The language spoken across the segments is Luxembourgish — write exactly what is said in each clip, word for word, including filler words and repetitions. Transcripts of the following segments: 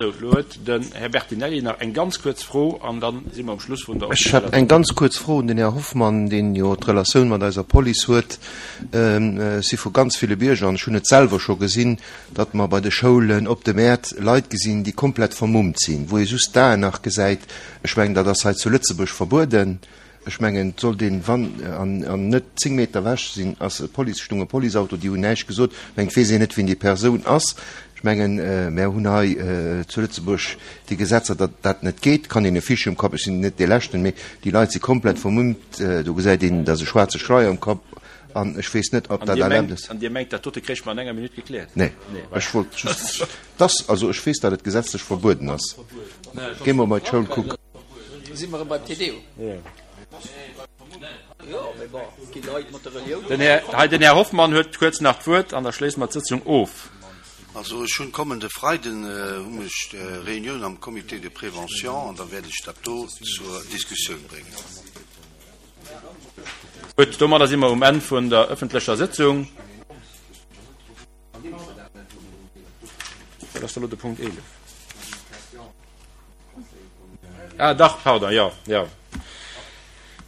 Sou, elo huet den Här Bertinelli nach eng ganz kuerz Fro an da si mer um Schluss vun der Ech hätt eng ganz kuerz Fro un den Här Hoffmann, deen jo d'Relatioun mat eiser Police huet. Ech si vu ganz ville Bierger, an ech hunn et selwer scho gesinn, datt mer bei de Schoulen, op de Mäert Leit gesinn, déi komplett vermummt sinn, wou ee just d'Aen nach gesäit. Ech mengen, dat ass hei zu Lëtzebuerg verbueden. Ech mengen, et sollt een, wann, an, an net zéng Meter ewech sinn, ass e Police, stung e Policeauto, déi hunn näischt gesot. Ech mengen, et weess een net, wien déi Persoun ass. Ech mengen, mär hunn hei zu Lëtzebuerg déi Gesetzer, datt dat net geet. Kann een e Fiche um Kapp, ech sinn net dee Leschten, mee déi Leit si komplett vermummt, do gesäit een, dat ass e schwaarze Schleier um Kapp an ech weess net, ob dat erlaabt ass. An Dir mengt, dat dote kréich mer an enger Minutt gekläert? Nee, ech wollt just, dass, also ech weess, datt et gesetzlech verbueden ass. Géi mer bei d'Schoul kucken. Si mer erëm beim Te Deum? Den Här, hei den Här Hoffmann huet kuerz nach d'Wuert an da schléisse mer d'Sëtzung of. Also ech hunn kommende Freiden hunn ech Reunioun am Comité de prévention an da wäert ech dat do zur Diskussioun bréngen. Gutt, domadder si mer um Enn vun der öffentlecher Sëtzung. Dat ass elo de Punkt eelef. Ah, dach, pardon, jo, jo.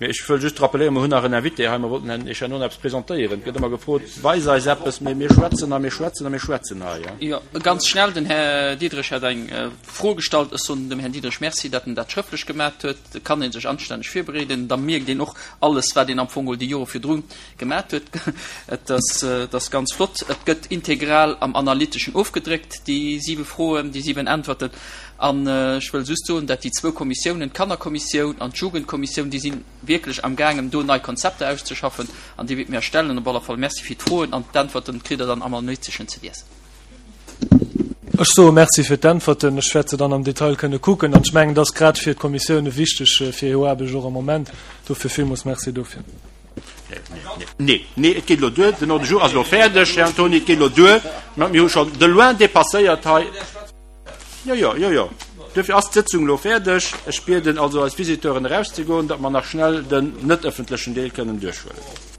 Mee ech wëll just rappeléieren, mer hunn nach en Invité hei, mer wollten Herrn Echanoun eppes presentéieren. Et gëtt ëmmer gefrot, Weis eis eppes, mee mir schwätzen a mir schwätzen a mir schwätzen hei, ja. Jo, ganz schnell, den Här Diderich hat eng Fro gestallt. Ech soen dem Här Diderich Merci, datt en dat schrëftlech gemat huet. Da kann ee sech anstänneg virbereeden. Da mierkt een och alles, wat een am Fong geholl déi Jore virdru gemat huet. Et ass, et ass ganz flott. Et gëtt integral am Analyteschen ofgedréckt, déi siwe Froen, déi siwen Äntwerten. An ech wëll just soen, dat déi zwou Kommissiounen, d'Kannerkommissioun an d'Jugendkommissioun, déi si wierklech amgaangen, do nei Konzepter auszeschaffen an déi wäerte mir erstellen. Op alle Fall Merci fir d'Froen an d'Äntwerten kritt Der dann am Analyteschen ze liesen. Ech soe Merci fir d'Äntwerten. Ech wäert se dann am Detail kënne kucken. An ech mengen, et ass grad fir d'Kommissioune wichteg fir hir Aarbecht och am Moment. Dofir villmools Merci dofir. Nee, nee, et geet elo duer. Den Ordre du jour ass elo fäerdeg, Här Antony. Et geet elo duer. Mir hu schonn de loin dépasséiert hei. Jo, jo, jo, jo. Duerfir ass d'Sëtzung elo fäerdeg. Ech bieden also eis Visiteuren erauszegoen, datt mer nach schnell den net ëffentlechen Deel kënnen duerchhuelen.